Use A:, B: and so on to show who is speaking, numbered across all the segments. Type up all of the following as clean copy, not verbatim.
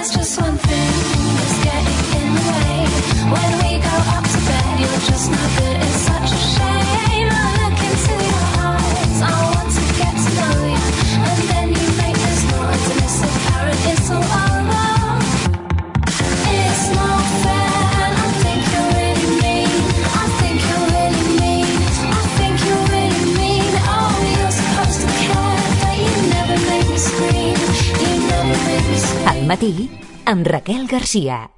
A: there's just one thing that's getting in the way. When we go up to bed, you're just no good. It's such a shame. I look into your eyes. I want to get to know you, and then you make this noise, and it's apparent it's all over. It's not fair, and I think you're really mean. I think you're really mean. I think you're really mean. Oh, you're supposed to care, but you never make me scream. You never make me scream.
B: Al matí, amb Raquel Garcia.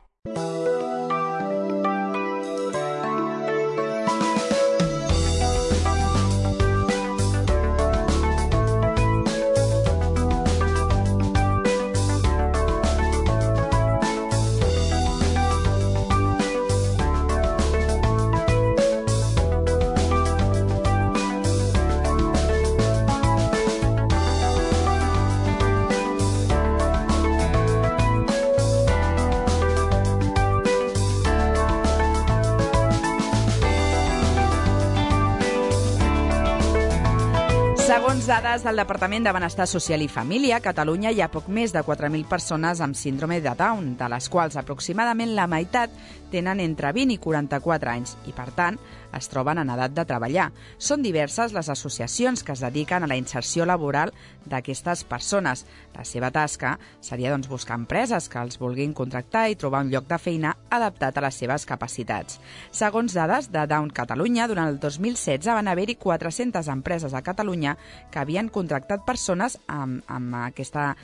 C: Segons dades del Departament de Benestar Social i Família, a Catalunya hi ha poc més de 4.000 persones amb síndrome de Down, de les quals aproximadament la meitat tenen entre 20 i 44 anys i, per tant, es troben en edat de treballar. Són diverses les associacions que es dediquen a la inserció laboral d'aquestes persones. La seva tasca seria doncs, buscar empreses que els vulguin contractar i trobar un lloc de feina adaptat a les seves capacitats. Segons dades de Down Catalunya, durant el 2016 van haver-hi 400 empreses a Catalunya que havien contractat persones amb aquesta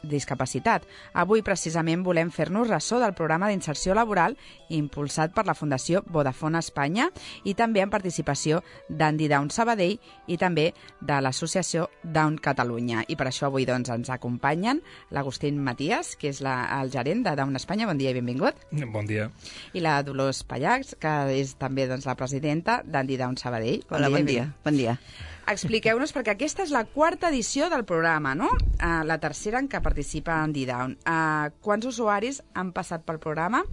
C: discapacitat. Avui, precisament, volem fer-nos ressò del programa d'inserció laboral impulsat per la Fundació Vodafone Espanya i també amb participació d'Andy Down Sabadell i també de l'Associació Down Catalunya. I per això avui doncs, ens acompanyen l'Agustín Matías, que és el gerent de Down Espanya. Bon dia i benvingut.
D: Bon dia.
C: I la Dolors Pallach, que és també doncs, la presidenta d'Andy Down Sabadell.
E: Hola, bon dia. Bon dia.
C: Expliqueu-nos, perquè aquesta és la quarta edició del programa, no? La tercera en què participa Andy Down. Quants usuaris han passat pel programa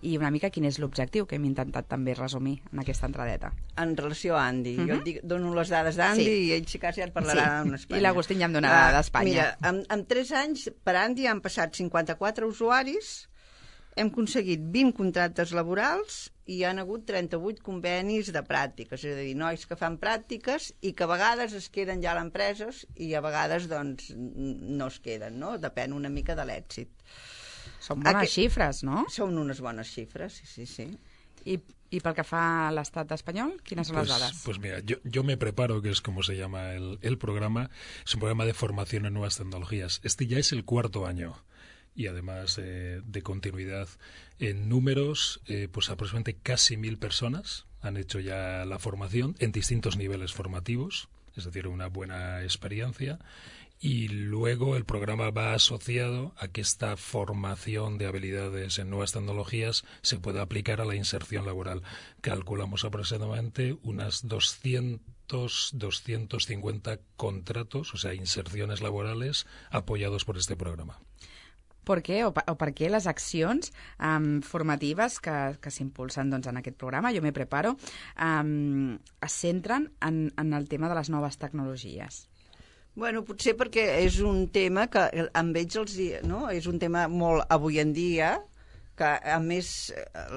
C: i una mica quin és l'objectiu que hem intentat també resumir en aquesta entradeta?
E: En relació a Andy, jo et dono les dades d'Andy i ell si cas ja et parlarà d'Espanya.
C: I l'Agustín ja em donarà d'Espanya.
E: Mira, en 3 anys per Andy han passat 54 usuaris, hem aconseguit 20 contractes laborals i hi ha hagut 38 convenis de pràctiques, és a dir, nois que fan pràctiques i que a vegades es queden ja a l'empreses i a vegades doncs, no es queden, no? Depèn una mica de l'èxit.
C: Són bones xifres, no?
E: Són unes bones xifres, sí.
C: ¿Y pel que fa a l'Estat espanyol, quines son las dadas?
D: Pues mira, yo me preparo, que es como se llama el programa, es un programa de formación en nuevas tecnologías. Este ya es el 4º año. Y además de continuidad en números, pues aproximadamente casi 1.000 personas han hecho ya la formación en distintos niveles formativos, es decir, una buena experiencia. Y luego el programa va asociado a que esta formación de habilidades en nuevas tecnologías se pueda aplicar a la inserción laboral. Calculamos aproximadamente unas 250 contratos, o sea, inserciones laborales apoyados por este programa.
C: Per què? O per què les accions formatives que s'impulsen doncs, en aquest programa, Jo me preparo, es centren en el tema de les noves tecnologies?
E: Bueno, potser perquè és un tema que amb ells és un tema molt avui en dia, que a més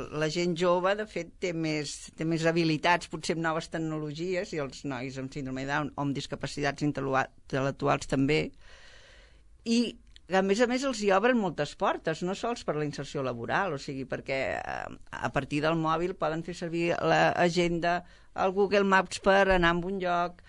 E: la gent jove de fet té més habilitats potser amb noves tecnologies i els nois amb síndrome de Down o amb discapacitats intel·lectuals també, i a més els hi obren moltes portes, no sols per la inserció laboral, o sigui, perquè a partir del mòbil poden fer servir l'agenda, el Google Maps per anar a un lloc,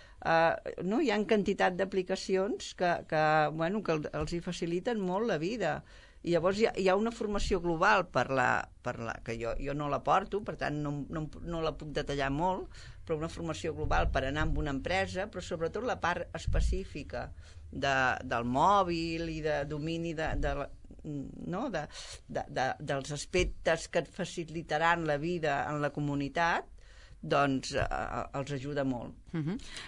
E: no? Hi ha quantitat d'aplicacions que els hi faciliten molt la vida. I llavors hi ha una formació global que jo no la porto, per tant no la puc detallar molt, però una formació global per anar a una empresa, però sobretot la part específica del mòbil i de domini dels aspectes que et facilitaran la vida en la comunitat, doncs els ajuda molt.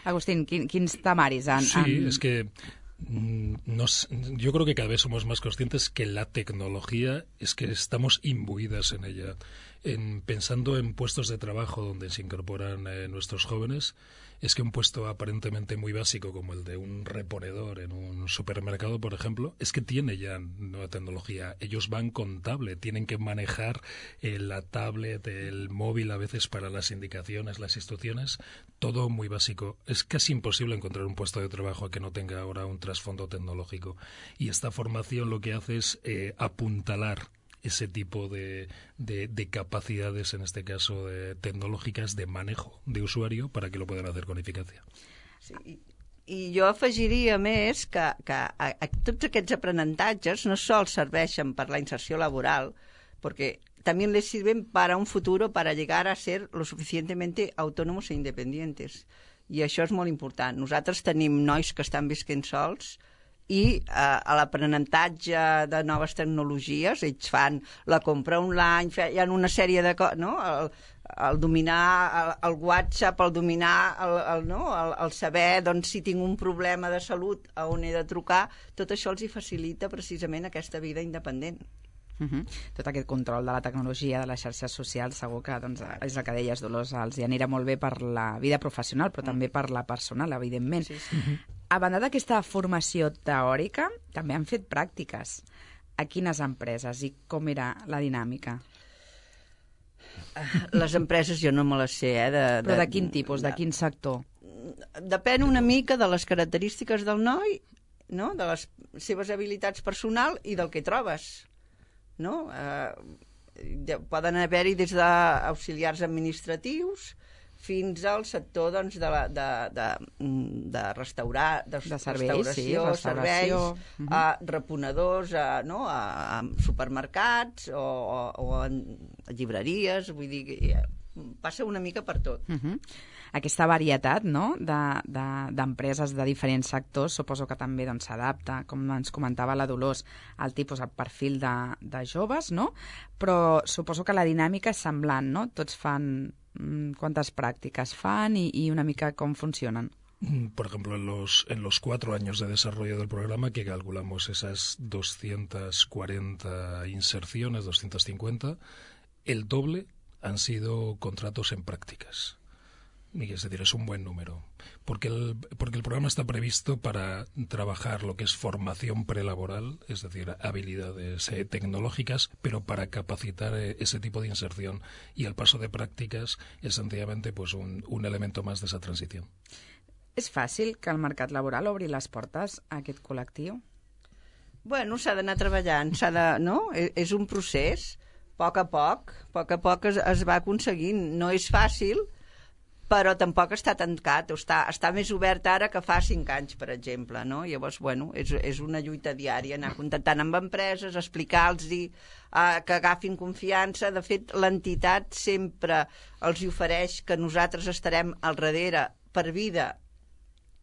C: Agustín, quins temaris han...
D: Sí, es que yo creo que cada vez somos más conscientes que la tecnología es que estamos imbuidas en ella. Pensando en puestos de trabajo donde se incorporan nuestros jóvenes, es que un puesto aparentemente muy básico como el de un reponedor en un supermercado, por ejemplo, es que tiene ya nueva tecnología. Ellos van con tablet, tienen que manejar la tablet, el móvil a veces para las indicaciones, las instrucciones, todo muy básico. Es casi imposible encontrar un puesto de trabajo que no tenga ahora un trasfondo tecnológico. Y esta formación lo que hace es apuntalar ese tipo de capacidades, en este caso tecnològiques, de manejo de usuario para que lo puedan hacer con eficacia.
E: Sí, i jo afegiria més que tots aquests aprenentatges no sols serveixen per la inserció laboral, porque también les sirven para un futuro, para llegar a ser lo suficientemente autónomos e independientes. I això és molt important. Nosaltres tenim nois que estan visquent sols i a l'aprenentatge de noves tecnologies, ells fan la compra online, hi ha una sèrie de coses, no? El dominar el WhatsApp, el dominar el saber doncs, si tinc un problema de salut a on he de trucar, tot això els hi facilita precisament aquesta vida independent.
C: Tot aquest control de la tecnologia, de les xarxes socials, segur que doncs, és el que deies, Dolors, els hi anirà molt bé per la vida professional, però també per la personal, evidentment. Sí. A banda d'aquesta formació teòrica, també han fet pràctiques. A quines empreses i com era la dinàmica?
E: Les empreses jo no me les sé,
C: Però de quin tipus, de quin sector?
E: Depèn una mica de les característiques del noi, no? De les seves habilitats personals i del que trobes. No? Poden haver-hi des d'auxiliars administratius fins al sector doncs, de restauració, serveis, reponedors a supermercats o a llibreries, vull dir, passa una mica per tot.
C: Aquesta varietat, no?, d'empreses de diferents sectors, suposo que també doncs, s'adapta, com ens comentava la Dolors, al tipus, al perfil de joves, no? Però suposo que la dinàmica és semblant, no? Tots fan quantes pràctiques fan i una mica com funcionen.
D: Por ejemplo, en los 4 años de desarrollo del programa, que calculamos esas 240 inserciones, 250, el doble han sido contratos en prácticas. Es decir, es un buen número, porque el programa está previsto para trabajar lo que es formación prelaboral, es decir, habilidades tecnológicas, pero para capacitar ese tipo de inserción. Y el paso de prácticas es sencillamente pues, un elemento más de esa transición.
C: És fàcil que el mercat laboral obri les portes a aquest col·lectiu?
E: Bueno, s'ha d'anar treballant, no? És un procés, a poc es va aconseguint. No és fàcil, però tampoc està tancat, està més obert ara que fa 5 anys, per exemple, no? Llavors, bueno, és una lluita diària, anar contactant amb empreses, explicar-los que agafin confiança. De fet, l'entitat sempre els ofereix que nosaltres estarem al darrere per vida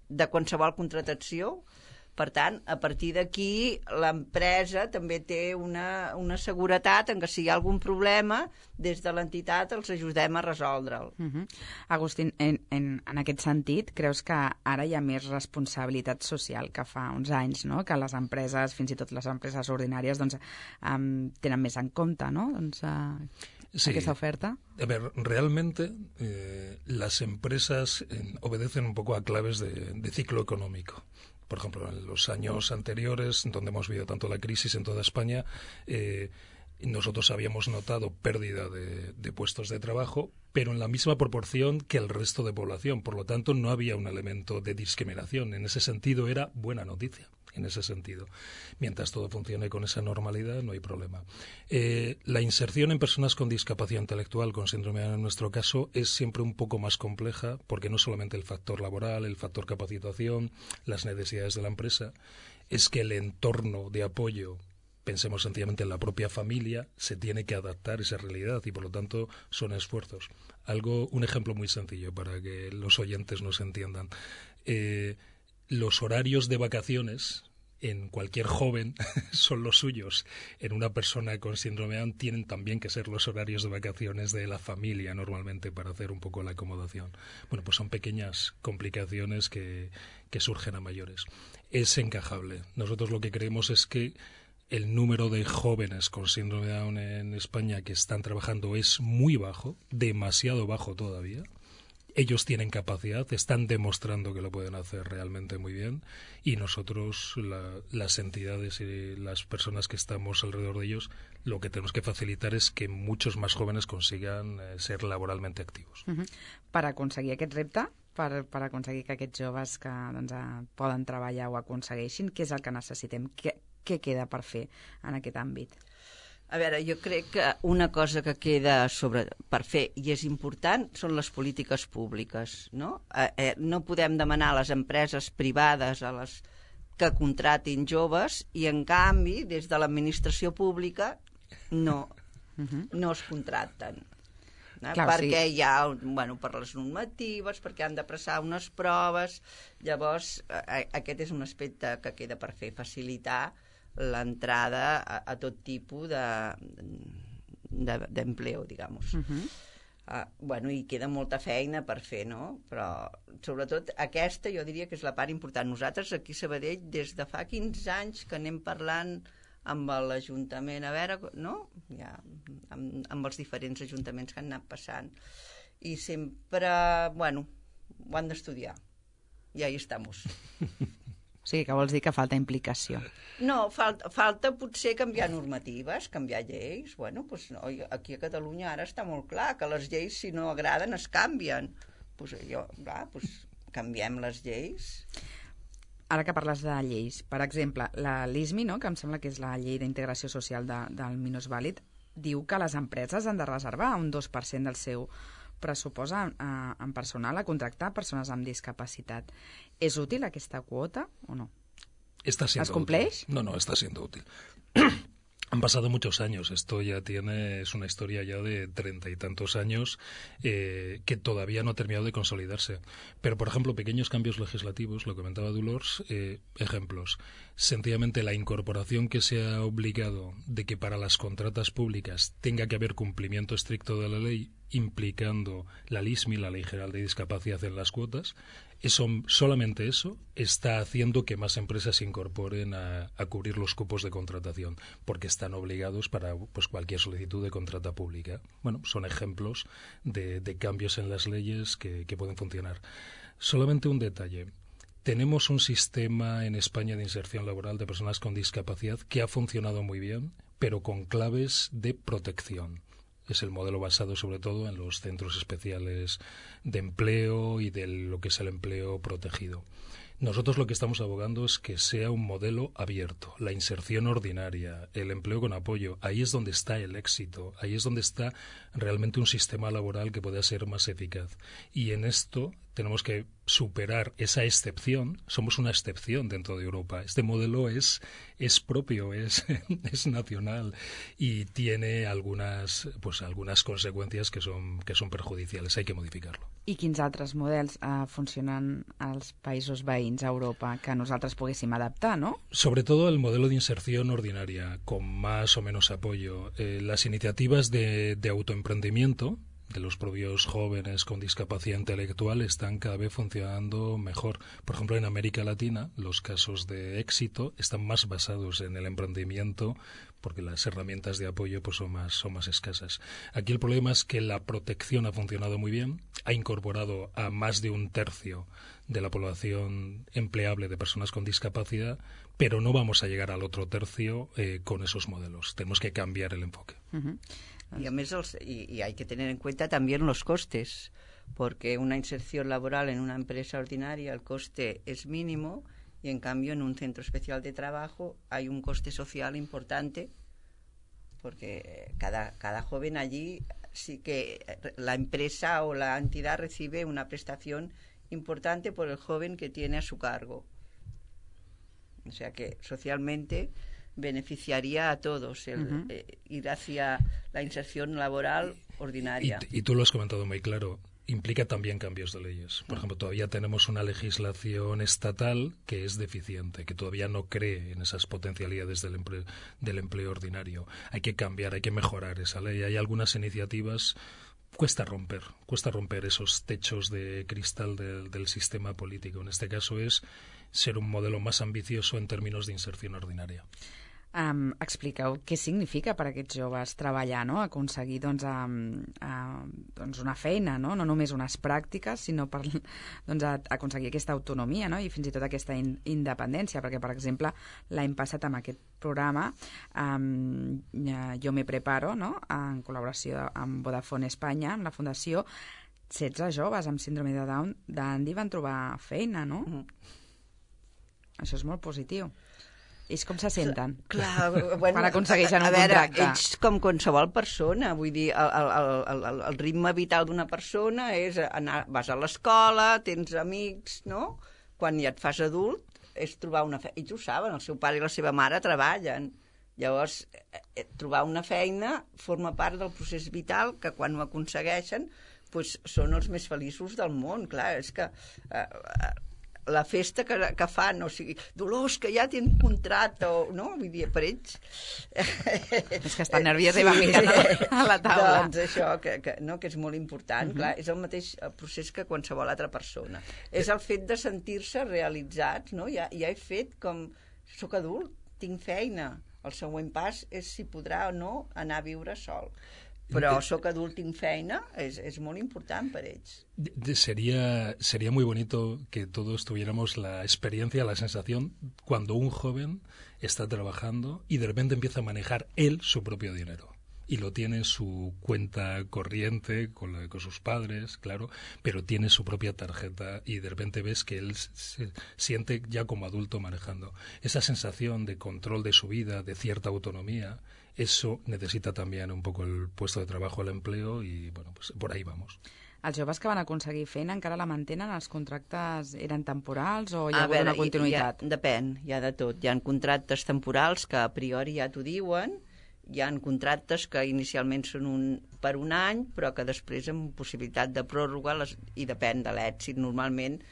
E: de qualsevol contractació. Per tant, a partir d'aquí, l'empresa també té una seguretat en que si hi ha algun problema, des de l'entitat els ajudem a resoldre'l.
C: Agustín, en aquest sentit, creus que ara hi ha més responsabilitat social que fa uns anys, no? Que les empreses, fins i tot les empreses ordinàries, doncs, tenen més en compte, no? Doncs,
D: sí.
C: Aquesta oferta.
D: A ver, realmente las empresas obedecen un poco a claves de ciclo económico. Por ejemplo, en los años anteriores, donde hemos vivido tanto la crisis en toda España, nosotros habíamos notado pérdida de puestos de trabajo, pero en la misma proporción que el resto de población. Por lo tanto, no había un elemento de discriminación. En ese sentido, era buena noticia. En ese sentido. Mientras todo funcione con esa normalidad, no hay problema. La inserción en personas con discapacidad intelectual, con síndrome de Down en nuestro caso, es siempre un poco más compleja, porque no solamente el factor laboral, el factor capacitación, las necesidades de la empresa, es que el entorno de apoyo, pensemos sencillamente en la propia familia, se tiene que adaptar a esa realidad y por lo tanto son esfuerzos. Un ejemplo muy sencillo para que los oyentes nos entiendan. Los horarios de vacaciones en cualquier joven son los suyos. En una persona con síndrome Down tienen también que ser los horarios de vacaciones de la familia normalmente para hacer un poco la acomodación. Bueno, pues son pequeñas complicaciones que surgen a mayores. Es encajable. Nosotros lo que creemos es que el número de jóvenes con síndrome Down en España que están trabajando es muy bajo, demasiado bajo todavía. Ellos tienen capacidad, están demostrando que lo pueden hacer realmente muy bien y nosotros, las entidades y las personas que estamos alrededor de ellos, lo que tenemos que facilitar és que muchos más jóvenes consigan ser laboralmente activos.
C: Per aconseguir aquest repte, per aconseguir que aquests joves que poden treballar ho aconsegueixin, què és el que necessitem? Què queda per fer en aquest àmbit?
E: A veure, jo crec que una cosa que queda per fer i és important són les polítiques públiques, no? No podem demanar a les empreses privades que contratin joves i, en canvi, des de l'administració pública no es contracten. Clar, perquè hi ha, per les normatives, perquè han de passar unes proves. Llavors, aquest és un aspecte que queda per fer, facilitar l'entrada a tot tipus d'empleo, digamos. I queda molta feina per fer, no? Però, sobretot, aquesta jo diria que és la part important. Nosaltres, aquí a Sabadell, des de fa 15 anys que anem parlant amb l'Ajuntament, a veure, no? Ja, amb els diferents ajuntaments que han anat passant. I sempre, ho han d'estudiar. I ahí estamos.
C: O sigui, que vols dir que falta implicació.
E: No, falta potser canviar normatives, canviar lleis. Aquí a Catalunya ara està molt clar que les lleis, si no agraden, es canvien. Canviem les lleis.
C: Ara que parles de lleis, per exemple, la LISMI, no?, que em sembla que és la Llei d'Integració Social del Minusvàlid, diu que les empreses han de reservar un 2% del seu pressupost en personal a contractar persones amb discapacitat. ¿Es útil aquesta quota o no?
D: ¿Es
C: cumpleix?
D: No, está siendo útil. Han pasado muchos años, esto ya es una historia ya de 30 y tantos años que todavía no ha terminado de consolidarse. Pero, por ejemplo, pequeños cambios legislativos, lo comentaba Dolors, ejemplos. Sencillamente la incorporación que se ha obligado de que para las contratas públicas tenga que haber cumplimiento estricto de la ley, implicando la LISMI, la Ley General de Discapacidad, en las cuotas. Solamente eso está haciendo que más empresas se incorporen a cubrir los cupos de contratación, porque están obligados para cualquier solicitud de contrata pública. Son ejemplos de cambios en las leyes que pueden funcionar. Solamente un detalle. Tenemos un sistema en España de inserción laboral de personas con discapacidad que ha funcionado muy bien, pero con claves de protección. Es el modelo basado sobre todo en los centros especiales de empleo y de lo que es el empleo protegido. Nosotros lo que estamos abogando es que sea un modelo abierto, la inserción ordinaria, el empleo con apoyo. Ahí es donde está el éxito, ahí es donde está realmente un sistema laboral que pueda ser más eficaz. Y en esto tenemos que superar esa excepción. Somos una excepción dentro de Europa. Este modelo es propio, es nacional y tiene algunas consecuencias que son perjudiciales. Hay que modificarlo.
C: I quins altres models funcionen als països veïns a Europa que nosaltres poguéssim adaptar, no?
D: Sobre todo el modelo de inserción ordinaria, con más o menos apoyo. Las iniciativas de autoemprendimiento de los propios jóvenes con discapacidad intelectual están cada vez funcionando mejor. Por ejemplo, en América Latina, los casos de éxito están más basados en el emprendimiento porque las herramientas de apoyo son más escasas. Aquí el problema es que la protección ha funcionado muy bien, ha incorporado a más de un tercio de la población empleable de personas con discapacidad, pero no vamos a llegar al otro tercio con esos modelos. Tenemos que cambiar el enfoque.
E: Y a més hay que tener en cuenta también los costes, porque una inserción laboral en una empresa ordinaria el coste es mínimo y en cambio en un centro especial de trabajo hay un coste social importante, porque cada joven allí sí que la empresa o la entidad recibe una prestación importante por el joven que tiene a su cargo. O sea que socialmente beneficiaría a todos ir hacia la inserción laboral ordinaria.
D: Y tú lo has comentado muy claro, implica también cambios de leyes. Por ejemplo, todavía tenemos una legislación estatal que es deficiente, que todavía no cree en esas potencialidades del empleo ordinario. Hay que cambiar, hay que mejorar esa ley. Hay algunas iniciativas. Cuesta romper esos techos de cristal del sistema político. En este caso es ser un modelo más ambicioso en términos de inserción ordinaria.
C: Expliqueu què significa per a aquests joves treballar, no? Aconseguir doncs, una feina, no? No només unes pràctiques, sinó per aconseguir aquesta autonomia, no? I fins i tot aquesta independència, perquè, per exemple, l'any passat amb aquest programa Jo me preparo, no? En col·laboració amb Vodafone Espanya, amb la Fundació, 16 joves amb síndrome de Down d'Andy van trobar feina, no? Això és molt positiu. Ells com se senten?
E: Clar, bueno,
C: quan aconsegueixen un contracte?
E: Ells com qualsevol persona, vull dir, el ritme vital d'una persona és anar, vas a l'escola, tens amics, no? Quan ja et fas adult, és trobar una feina. Ells ho saben, el seu pare i la seva mare treballen. Llavors, trobar una feina forma part del procés vital que quan ho aconsegueixen doncs són els més feliços del món. Clar, és que la festa que fan, o sigui, Dolors, que ja tenen contracte, no? Vull dir, per ells...
C: És que estan nerviós i van mirant a la taula.
E: Doncs això, que és molt important, clar, és el mateix procés que qualsevol altra persona. És el fet de sentir-se realitzats, no? Ja he fet com... Soc adult, tinc feina. El següent pas és si podrà o no anar a viure sol. Però soc adult, tinc feina, es muy important para ellos.
D: Sería muy bonito que todos tuviéramos la experiencia, la sensación, cuando un joven está trabajando y de repente empieza a manejar él su propio dinero. Y lo tiene en su cuenta corriente con sus padres, claro, pero tiene su propia tarjeta y de repente ves que él se siente ya como adulto manejando. Esa sensación de control de su vida, de cierta autonomía, eso necesita también un poco el puesto de trabajo, el empleo y, bueno, pues por ahí vamos.
C: Els joves que van aconseguir feina encara la mantenen? Els contractes eren temporals o hi ha hagut una continuïtat?
E: Depèn, hi ha de tot. Hi ha contractes temporals que a priori ja t'ho diuen, hi ha contractes que inicialment són per un any, però que després amb possibilitat de pròrroga, i depèn de l'èxit, normalment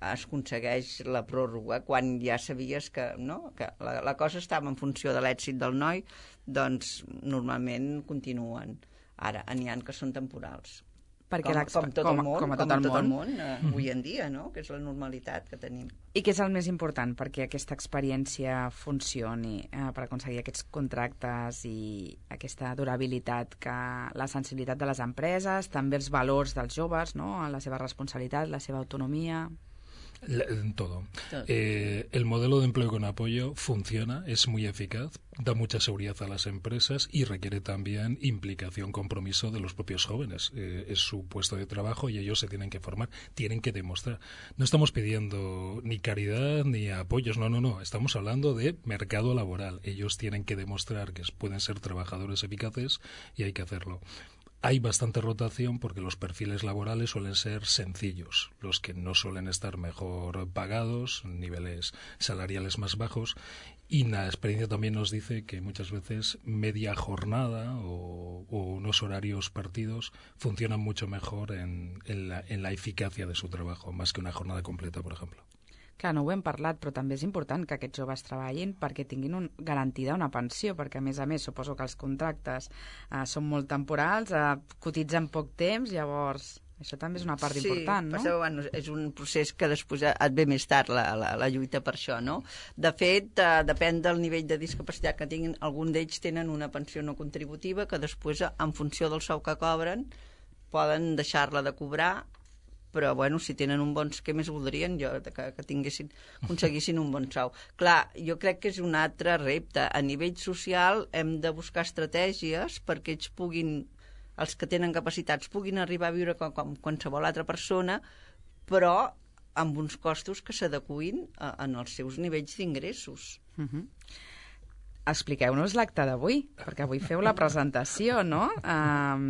E: es aconsegueix la pròrroga quan ja sabies que la cosa estava en funció de l'èxit del noi, doncs normalment continuen. Ara, n'hi ha que són temporals. Com tot el món avui en dia, no? Que és la normalitat que tenim.
C: I què és el més important perquè aquesta experiència funcioni, per aconseguir aquests contractes i aquesta durabilitat, que la sensibilitat de les empreses, també els valors dels joves, no? La seva responsabilitat, la seva autonomia...
D: Todo. El modelo de empleo con apoyo funciona, es muy eficaz, da mucha seguridad a las empresas y requiere también implicación, compromiso de los propios jóvenes. Es su puesto de trabajo y ellos se tienen que formar, tienen que demostrar. No estamos pidiendo ni caridad ni apoyos, no. Estamos hablando de mercado laboral. Ellos tienen que demostrar que pueden ser trabajadores eficaces y hay que hacerlo. Hay bastante rotación porque los perfiles laborales suelen ser sencillos, los que no suelen estar mejor pagados, niveles salariales más bajos, y la experiencia también nos dice que muchas veces media jornada o unos horarios partidos funcionan mucho mejor en la eficacia de su trabajo, más que una jornada completa, por ejemplo.
C: Clar, no ho hem parlat, però també és important que aquests joves treballin perquè tinguin garantida una pensió, perquè a més, suposo que els contractes són molt temporals, cotitzen poc temps, llavors això també és una part important, no?
E: Sí, bueno, és un procés que després et ve més tard la lluita per això, no? De fet, depèn del nivell de discapacitat que tinguin, alguns d'ells tenen una pensió no contributiva que després, en funció del sou que cobren, poden deixar-la de cobrar, però, bueno, si tenen un bon... Què més voldrien que aconseguissin un bon sou? Clar, jo crec que és un altre repte. A nivell social hem de buscar estratègies perquè ells puguin, els que tenen capacitats, puguin arribar a viure com qualsevol altra persona, però amb uns costos que s'adequin en els seus nivells d'ingressos.
C: Expliqueu-nos l'acte d'avui, perquè avui feu la presentació, no?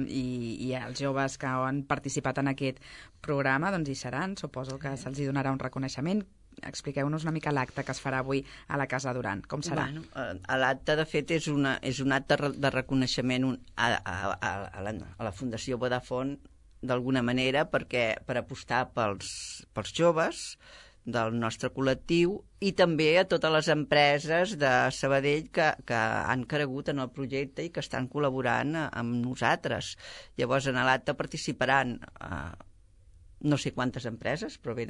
C: I els joves que han participat en aquest programa doncs hi seran, suposo que se'ls donarà un reconeixement. Expliqueu-nos una mica l'acte que es farà avui a la Casa Duran. Com serà?
E: Bueno, l'acte, de fet, és un acte de reconeixement a la Fundació Vodafone, d'alguna manera, per apostar pels joves del nostre col·lectiu i també a totes les empreses de Sabadell que han cregut en el projecte i que estan col·laborant amb nosaltres. Llavors, en l'acte participaran no sé quantes empreses, però bé,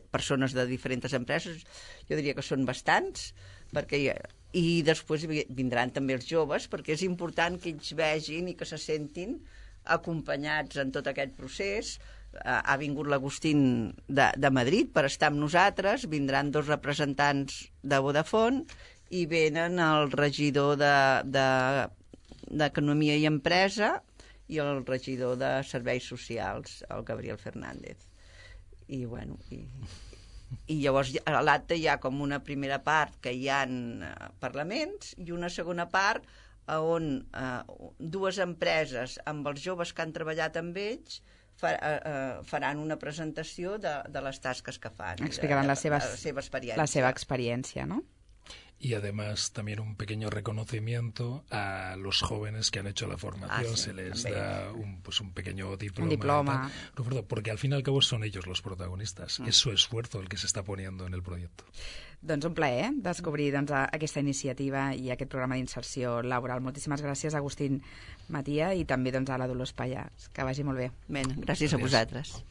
E: persones de diferents empreses, jo diria que són bastants, perquè I després vindran també els joves, perquè és important que ells vegin i que se sentin acompanyats en tot aquest procés. Ha vingut l'Agustín de Madrid per estar amb nosaltres, vindran 2 representants de Vodafone i venen el regidor d'Economia i Empresa i el regidor de Serveis Socials, el Gabriel Fernández. I, bueno, i llavors a l'acte hi ha com una primera part que hi ha parlaments i una segona part on 2 empreses amb els joves que han treballat amb ells faran una presentació de les tasques que fan.
C: Explicaran la seva experiència, ¿no?
D: Y además también un pequeño reconocimiento a los jóvenes que han hecho la formación.
E: Sí,
D: se les
E: también.
D: da un pequeño diploma.
C: Un diploma.
D: Porque al fin y al cabo son ellos los protagonistas. Es su esfuerzo el que se está poniendo en el proyecto.
C: Doncs un plaer descobrir aquesta iniciativa i aquest programa d'inserció laboral. Moltíssimes gràcies, Agustín Matia, i també a la Dolors Pallà. Que vagi molt bé.
E: Gràcies a vosaltres.